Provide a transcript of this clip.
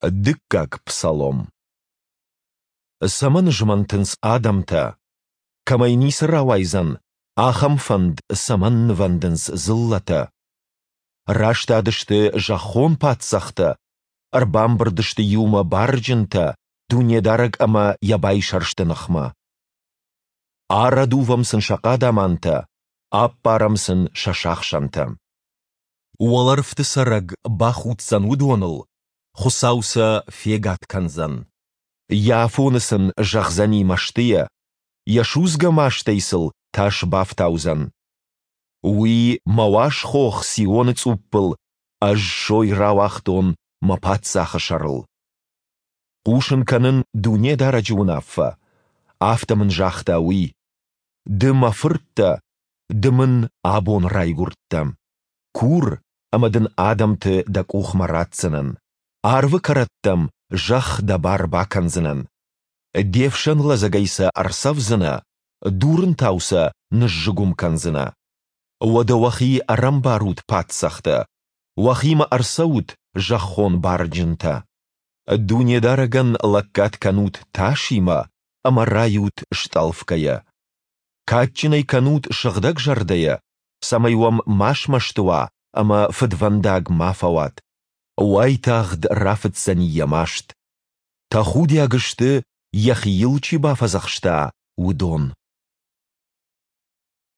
Дыккаг псалом. Цӕмӕн змӕнтынц адӕмтӕ? Кӕмӕй ницы рауайдзӕн, ахӕм фӕнд цӕмӕн нывӕндынц дзыллӕтӕ? Растадысты зӕххон паддзӕхтӕ, ӕрбамбырд сты иумӕ барджынтӕ Дунедарӕг ӕмӕ Йӕ байсӕрсты ныхмӕ. Арӕдувӕм сын сӕ хъадамантӕ, аппарӕм сын сӕ сахсӕнтӕ. Уӕлӕрвты цӕрӕг бахуддзӕн уыдоныл, Хуыцау сӕ фегад кӕндзӕн. Йӕ афоны сын зӕгъдзӕни мӕстыйӕ, Йӕ судзгӕ мастӕй сыл тас бафтаудзӕн. Уый мӕ уаз хох Сионы цъуппыл Ӕз сой рауагътон мӕ паддзахы сӕрыл. Хъусын кӕнын Дунедарӕджы уынаффӕ. Афтӕ мын загъта Уый: Ды мӕ фырт дӕ, Ды мын абон райгуырдтӕ. Кур, ӕмӕ дын адӕмты дӕ къухмӕ ратдзынӕн, арвы кӕрӕттӕм зӕхх дӕ бар бакӕндзынӕн. Де фсӕн лӕдзӕгӕй сӕ ӕрцӕвдзынӕ, дурынтау сӕ ныззыгуым кӕндзынӕ. Уӕдӕ уӕхи ӕрӕмбарут, паддзӕхтӕ, уӕхимӕ ӕрцӕут, зӕххон барджынтӕ. Дунедарӕгӕн лӕггад кӕнут тасимӕ ӕмӕ райут стъӕлфгӕйӕ. Кадджын ӕй кӕнут сыгъдӕг зӕрдӕйӕ, цӕмӕй уӕм ма смӕсты уа ӕмӕ фыдвӕндаг ма фӕуат. Уайтагъд рафыцдзӕни йӕ маст. Тӕхудиаг сты, йӕхи йыл чи бафӕдзӕхста, уыдон.